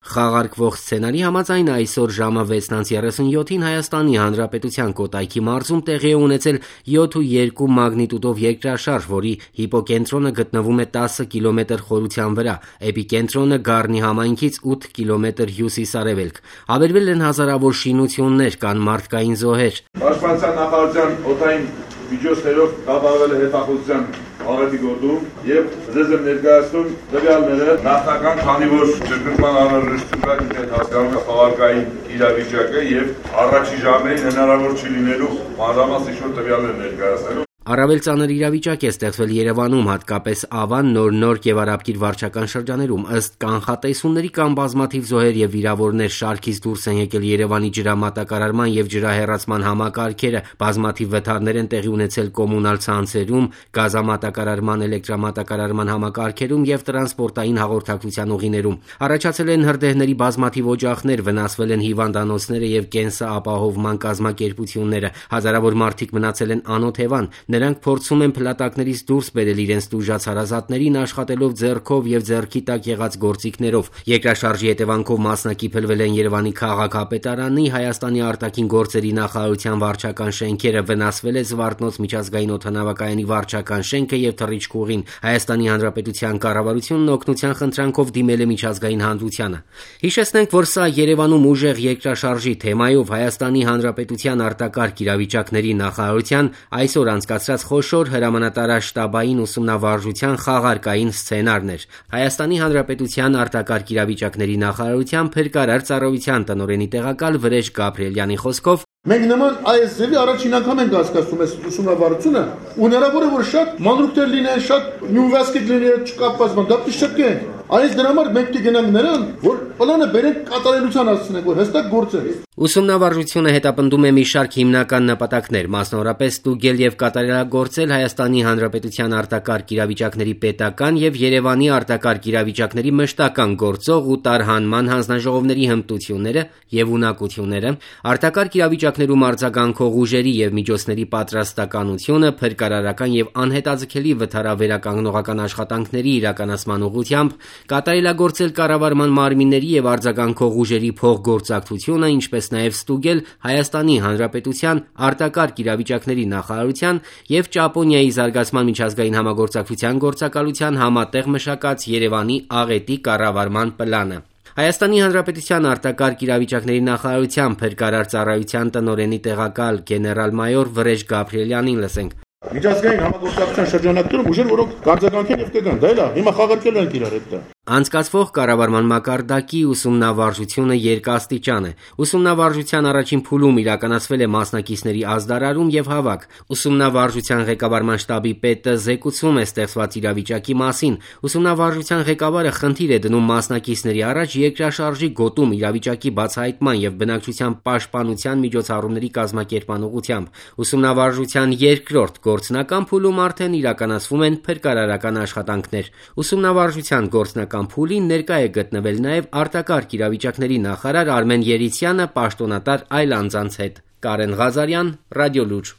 Խաղարկվող սցենարի համաձայն այսօր ժամը 6:37-ին Հայաստանի Հանրապետության Կոտայքի մարզում տեղի է ունեցել 7.2 մագնիտուդով երկրաշարժ, որի հիպոկենտրոնը գտնվում է 10 կիլոմետր խորության վրա, էպիկենտրոնը Գառնի համայնքից 8 կիլոմետր հյուսիս-արևելք։ Ավերվել են հազարավոր շինություններ, կան մարդկային զոհեր։ Պաշտպանության նախարարության օդային միջոցներով կապահովել է հետախուզության աղետի գործում եւ ձեզ եմ ներկայացնում տվյալները նախնական, քանի որ ճգնման անհրաժեշտություն կա, դուք հասկանում եք խաղարկային իրավիճակը եւ առաջի ժամերին հնարավոր չի լինելու մանրամասն ինչ-որ տվյալներ ներկայացնելու։ Առավել ծանր իրավիճակ է ստեղծվել Երևանում, հատկապես Ավան, Նոր եւ Արաբկիր վարչական շրջաներում։ Ըստ կանխատեսումների կան բազմաթիվ զոհեր եւ վիրավորներ, շարքից դուրս են եկել Երևանի ջրամատակարարման եւ ջրահեռացման համակարգերը, բազմաթիվ վթարներ են տեղի ունեցել կոմունալ ցանցերում, գազամատակարարման, էլեկտրամատակարարման համակարգերում եւ տրանսպորտային հաղորդակցության ուղիներում։ Առաջացել են հրդեհների բազմաթիվ օջախներ, վնասվել են հիվանդանոցները եւ կենսապահովման կազմակերպությունները։ Հազարավոր մարդիկ մնացել են անօթևան։ Նրանք փորձում են փլատակներից դուրս բերել իրենց տուժած հարազատներին, աշխատելով ձեռքով եւ ձեռքի տակ եղած գործիքներով։ Երկրաշարժի հետևանքով մասնակիցվել են Երևանի քաղաքապետարանի, Հայաստանի արտաքին գործերի նախարարության վարչական շենքերը, վնասվել է Զվարթնոց միջազգային օդանավակայանի վարչական շենքը եւ Թռիչքուղին։ Հայաստանի Հանրապետության կառավարությունն օգնության խնդրանքով դիմել է միջազգային հանրությանը։ Հիշեցնենք, որ սա Երևանում ուժեղ երկրաշարժի թեմայով Հայաստանի Հանրապետության արտակարգ իրավիճակների նախարարության այսօր անցկացրած խոշոր հրամանատարաշտաբային ուսումնավարժության խաղարկային սցենարն էր։ Հայաստանի Հանրապետության արտակարգ իրավիճակների նախարարության փրկարար ծառայության տնօրենի տեղակալ Վրեժ Գաբրիելյանի խոսքով մենք նման այս ձևի առաջին անգամ ենք հասկացում այս ուսումնավարությունը, ու հնարավոր է որ շատ մանրուքներ լինեն, շատ նյունվասկի լինեն, չկապված բան, դա պիտի շտկենք։ Այս դրա համար մենք պիտի գնանք նրան, որ պլանը բերենք կատարելության հասցնենք, որ հստակ գործեր։ Ուսումնավարժությունը հետապնդում է մի շարք հիմնական նպատակներ, մասնավորապես ստուգել եւ կատարելագործել Հայաստանի Հանրապետության արտակարգ իրավիճակների պետական եւ Երևանի արտակարգ իրավիճակների մշտական գործող ու տարհանման հանձնաժողովների հմտությունները եւ ունակությունները, արտակարգ իրավիճակներում արձագանքող ուժերի եւ միջոցների պատրաստականությունը, փրկարարական եւ անհետաձգելի վթարավերականգնողական աշխատանքների իրականացման ուղղությամբ, կատարելագործել կառավարման մարմինների եւ արձագանքող ուժերի փոխգործակցությունը, ինչպես նաև ստուգել Հայաստանի Հանրապետության արտակարգ իրավիճակների նախարարության եւ Ճապոնիայի զարգացման միջազգային համագործակցության գործակալության համատեղ մշակած Երևանի աղետի կառավարման պլանը։ Հայաստանի Հանրապետության արտակարգ իրավիճակների նախարարության փրկարար ծառայության տնօրենի տեղակալ գեներալ-մայոր Վրեժ Գաբրիելյանին լսենք։ Միջազգային համագործակցության շրջանակներում ուժեր, որոնք կարձագանքեն եւ կգան, դա էլա, հիմա խաղարկել են իրար հետ դա։ Անցկացվող կառավարման մակարդակի ուսումնավարժությունը երկաստիճան է։ Ուսումնավարժության առաջին փուլում իրականացվել է մասնակիցների ազդարարում եւ հավաք։ Ուսումնավարժության ղեկավարման շտաբի պետը զեկուցում է ստեղծված իրավիճակի մասին։ Ուսումնավարժության ղեկավարը խնդիր է դնում մասնակիցների առաջ երկրաշարժի գոտում իրավիճակի բացահայտման եւ բնակչության պաշտպանության միջոցառումների կազմակերպման ուղղությամբ։ Ուսումնավարժության երկրորդ գործնական փուլում արդեն իրականացվում են փրկարարական աշխատանքներ։ Ուսումնավարժության գործնական փուլին ներկա է գտնվել նաև արտակարգ իրավիճակների նախարար Արմեն Երիցյանը պաշտոնատար այլ անձանց հետ։ Կարեն Ղազարյան, Ռադիոլուր։